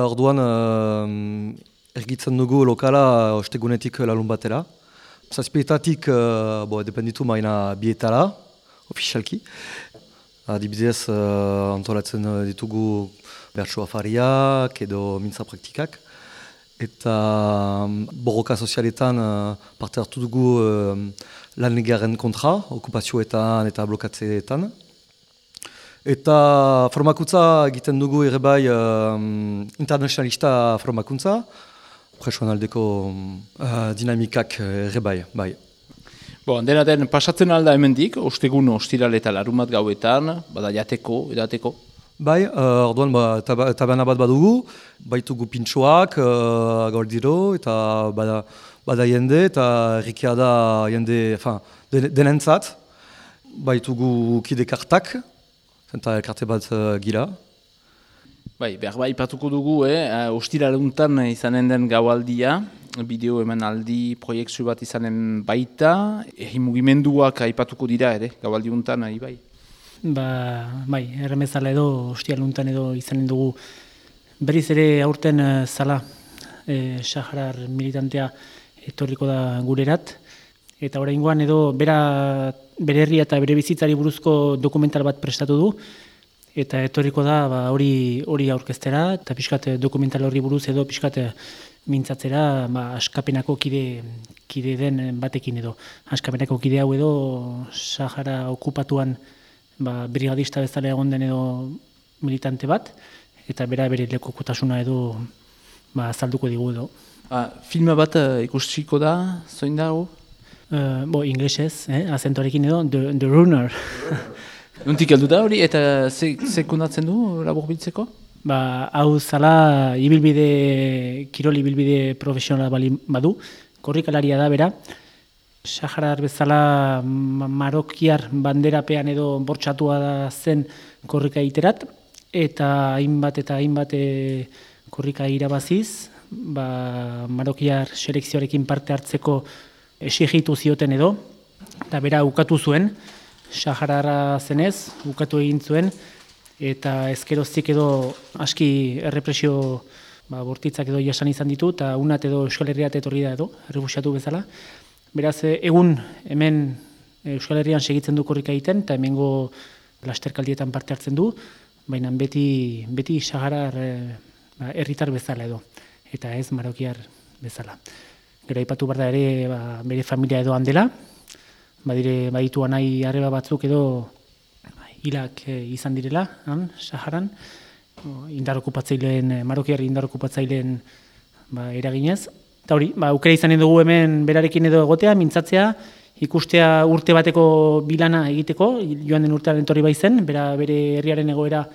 orduan ergitzen dugu lokala ostegunetik larun batera. Zazpietatik, dependitu maina bietara, ofizialki. Adibidez, antolatzen ditugu bertso afariak edo mintza praktikak. Eta borroka sozialetan parte hartu dugu lan legaren kontra, okupazioetan eta blokatzeetan. Eta formakuntza egiten dugu ere bai internazionalista formakuntza, presoan aldeko dinamikak ere bai. Dena den, pasatzen alda hemendik, ostegun ostiral eta larumat gauetan, bada jateko, edateko? Bai, orduan tabana bat badugu, baitugu pintxoak gauldiro, eta bada jende, eta errikia da jende denentzat. Baitugu kide kartak, eta elkarte bat gira. Behar ipatuko dugu, ostiraluntan izanen den gaualdia, bideo emanaldi proiektu bat izanen baita, mugimenduak aipatuko dira ere, gaualdiuntan ari bai. Erremezala edo ostiraluntan edo izanen dugu berriz ere aurten zala Saharar militantea etorriko da gurerat. Eta oraingoan edo bere herria eta bere bizitzari buruzko dokumental bat prestatu du. Eta etorriko da hori aurkeztera, eta pixkat dokumental horri buruz edo pixkat mintzatzera askapenako kide den batekin edo. Askapenako kide hau edo Sahara okupatuan brigadista bezala egon den edo militante bat, eta bere lekukotasuna edo azalduko digu edo. Filma bat ikustiko da, zoin dago? Inglesez, azentoarekin edo, The Runner. Nuntik heldu da hori, eta sekundatzen du laburbiltzeko? Hau zala kirol ibilbide profesionala badu, korrikalaria da bera. Saharar bezala marokiar banderapean edo bortxatua da zen korrika iterat, eta hainbat korrika irabaziz, marokiar selekzioarekin parte hartzeko exigitu zioten edo, eta bera ukatu zuen, Saharara zenez, ukatu egin zuen, eta ezkeroztik edo aski errepresio bortitzak edo jasan izan ditu, eta unat edo Euskal Herriat etorri da edo, errefusiatu bezala. Beraz, egun hemen Euskal Herrian segitzen du korrika egiten, eta hemengo lasterkaldietan parte hartzen du, baina beti Saharar herritar bezala edo, eta ez marokiar bezala. Gero aipatu behar da ere bere familia edo handela, baditu anai arreba batzuk edo hilak izan direla, Saharan, marokiar indar okupatzaileen eraginez. Eta hori, aukera izanen dugu hemen berarekin edo egotea, mintzatzea, ikustea urte bateko bilana egiteko, joan den urtearen etorri baizen, bere herriaren egoera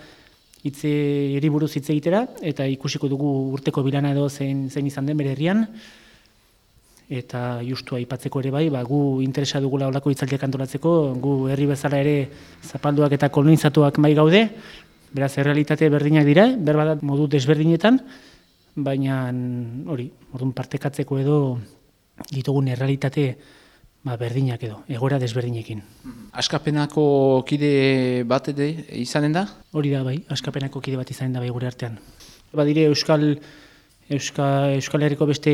hiri buruz hitz egitera, eta ikusiko dugu urteko bilana edo zein izan den bere herrian, eta justu aipatzeko ere bai, gu interesa dugula olako hitzaldiak antolatzeko, gu herri bezala ere zapalduak eta kolonizatuak bai gaude, beraz errealitate berdinak dira, berbadat modu desberdinetan, baina hori, orduan partekatzeko edo ditugun errealitate berdinak edo, egoera desberdinekin. Askapenako kide bat izanen da? Hori da bai, askapenako kide bat izanen da bai gure artean. Badire Euskal Herriko beste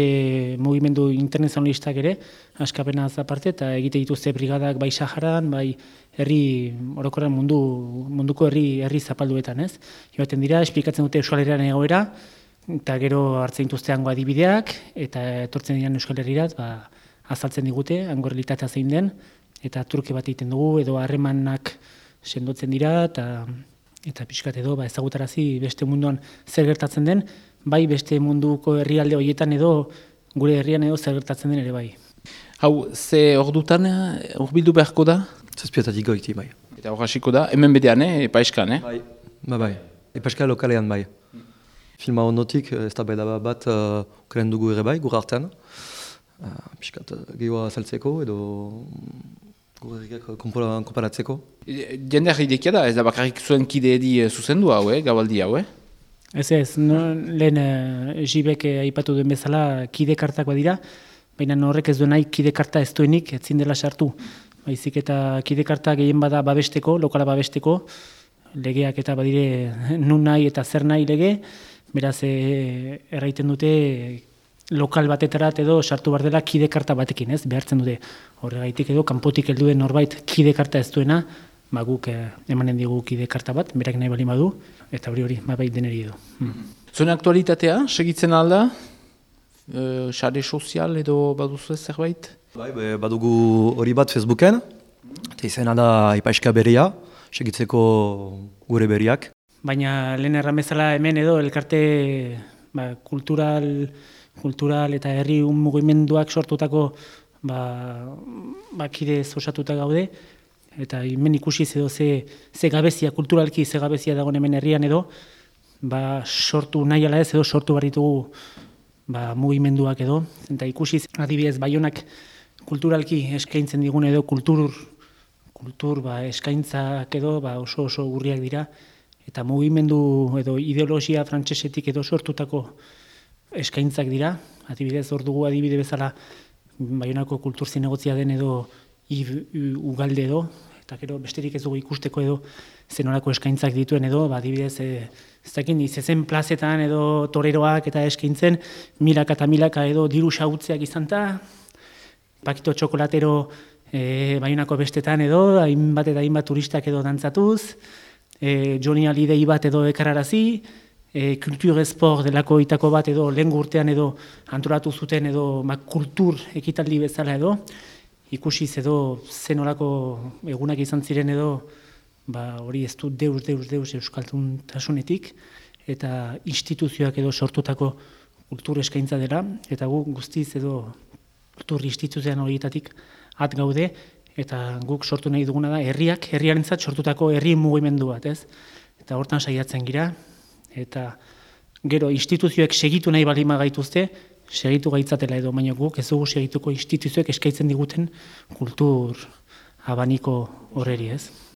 mugimendu internazionalistak ere, askapenaz aparte, eta egite dituzte brigadak bai Saharan, bai herri orokorren munduko herri zapalduetan, ez? Joaten dira, esplikatzen dute Euskal Herriaren egoera, eta gero hartzen dituzte hango adibideak, eta etortzen diren Euskal Herrirat, azaltzen digute, hango realitatea zein den, eta truke bat egiten dugu, edo harremanak sendotzen dira, eta pixkat edo ezagutarazi beste munduan zer gertatzen den, bai beste munduko herrialde horietan edo gure herrian edo zer gertatzen den ere bai. Hau, ze ordutan urbildu beharko da? Zazpietatik goiti, bai. Eta hor hasiko da, hemen bedean, epaiskan, Bai. Epaiskan lokalean, bai. Filma ondotik, ez da bat ukeren dugu ere bai, gure artean. Piskat, gehiago azaltzeko edo gure herriak konparatzeko. Jende idekia da, ez da bakarrik zuen kide edi zuzendu hau, gabaldi hau, Ez, lehen Jibek aipatu duen bezala kide kartak badira, baina horrek ez duen nahi kide karta ez duenik, etzin dela sartu. Baizik eta kide karta gehien bada babesteko, lokala babesteko, legeak eta badire nun nahi eta zer nahi lege, Beraz, erraiten dute lokal batetarat edo sartu behar dela kide karta batekin, ez? Behartzen dute horregaitik edo kanpotik helduen norbait kide karta ez duena, guk emanen digu kide karta bat, berak nahi bali badu, eta hori bai deneri edo. Zuen aktualitatea, segitzen alda? Sare sozial edo baduzu ez zerbait? Bai, badugu hori bat Facebooken, eta izena da Ipaiska Berria, segitzeko gure berriak. Baina lehen erramezala hemen edo elkarte kultural eta herri mugimenduak sortutako kide osatuta gaude, eta hemen ikusi edo ze gabezia, kulturalki ze gabezia dagoen hemen herrian edo, sortu nahi ala ez edo sortu barritugu mugimenduak edo, eta ikusi adibidez Baionak kulturalki eskaintzen digun edo kultur eskaintzak edo oso gurriak dira, eta mugimendu edo ideologia frantsesetik edo sortutako eskaintzak dira, adibidez hor dugu adibide bezala Baionako kultur zinegotzia den edo ugalde edo, eta gero besterik ez dugu ikusteko edo zenolako eskaintzak dituen edo, adibidez izezen plazetan edo toreroak eta eskaintzen milaka eta milaka edo diru xahutzeak izanta, pakito txokolatero Baionako bestetan edo, hainbat eta hainbat turistak edo dantzatuz, Johnny Hallyday bat edo ekararazi, kultur esport delako itako bat edo lehen urtean edo antolatu zuten edo kultur ekitaldi bezala edo, ikusiz edo zenolako egunak izan ziren edo, hori ez du deus euskalduntasunetik, eta instituzioak edo sortutako kultur eskaintza dela, eta gu guztiz edo kultur instituzioan horietatik at gaude, eta guk sortu nahi duguna da herriarentzat sortutako herri mugimendu bat, ez? Eta hortan saiatzen gira, eta gero instituzioek segitu nahi balima gaituzte, segitu gaitzatela edo, baina guk ez dugu segituko instituzioek eskaintzen diguten kultur abaniko horreri, ez?